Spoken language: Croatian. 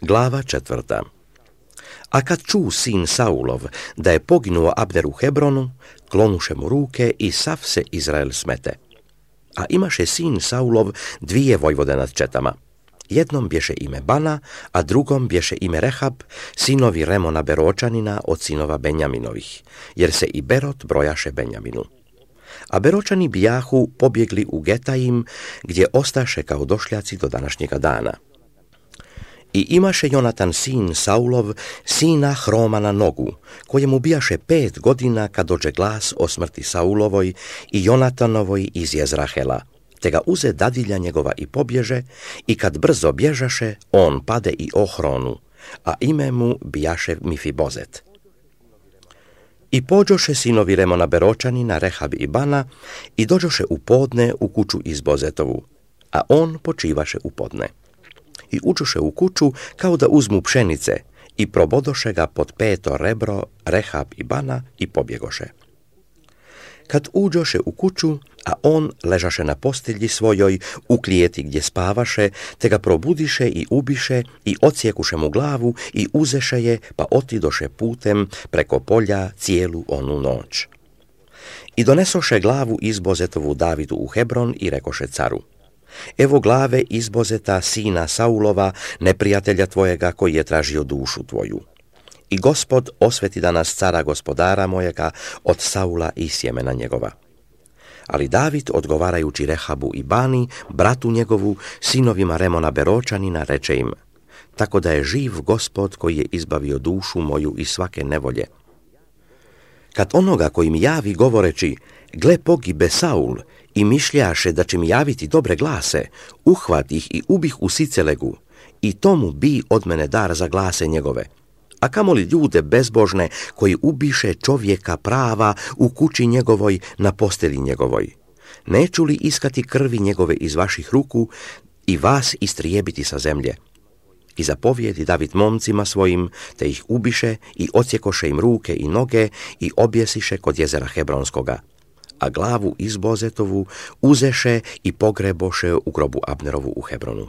Glava 4. A kad ču sin Saulov da je poginuo Abner u Hebronu, klonuše mu ruke i sav se Izrael smete. A imaše sin Saulov dvije vojvode nad četama. Jednom bješe ime Bana, a drugom bješe ime Rehab, sinovi Remona Beročanina od sinova Benjaminovih, jer se i Berot brojaše Benjaminu. A Beročani bijahu pobjegli u Getajim, gdje ostaše kao došljaci do današnjega dana. I imaše Jonatan sin Saulov, sina Hroma na nogu, kojemu bijaše 5 godina kad dođe glas o smrti Saulovoj i Jonatanovoj iz Jezrahela, te ga uze dadilja njegova i pobježe, i kad brzo bježaše, on pade i ohronu, a ime mu bijaše Mifibozet. I pođoše sinovi Remona Beročanina, Rehab i Bana, i dođoše u podne u kuću Izbozetovu, a on počivaše u podne. I uđoše u kuću kao da uzmu pšenice, i probodoše ga pod 5. rebro Rehab i Bana i pobjegoše. Kad uđoše u kuću, a on ležaše na postelji svojoj, u klijeti gdje spavaše, te ga probudiše i ubiše i odsjekuše mu glavu i uzeše je, pa otidoše putem preko polja cijelu onu noć. I donesoše glavu Izbozetovu Davidu u Hebron i rekoše caru: Evo glave Izbozeta, sina Saulova, neprijatelja tvojega koji je tražio dušu tvoju. I Gospod osveti danas cara gospodara mojega od Saula i sjemena njegova. Ali David, odgovarajući Rehabu i Bani, bratu njegovu, sinovima Remona Beročanina, reče im: Tako da je živ Gospod koji je izbavio dušu moju iz svake nevolje. Kad onoga koji mi javi govoreći: Gle, pogibe Saul, i mišljaše da će mi javiti dobre glase, uhvat ih i ubih u Sicelegu, i tomu bi od mene dar za glase njegove. A kamoli ljude bezbožne koji ubiše čovjeka prava u kući njegovoj na postelji njegovoj. Neću li iskati krvi njegove iz vaših ruku i vas istrijebiti sa zemlje? I zapovjedi David momcima svojim, te ih ubiše i odsjekoše im ruke i noge i objesiše kod jezera Hebronskoga. A glavu Izbozetovu uzeše i pogreboše u grobu Abnerovu u Hebronu.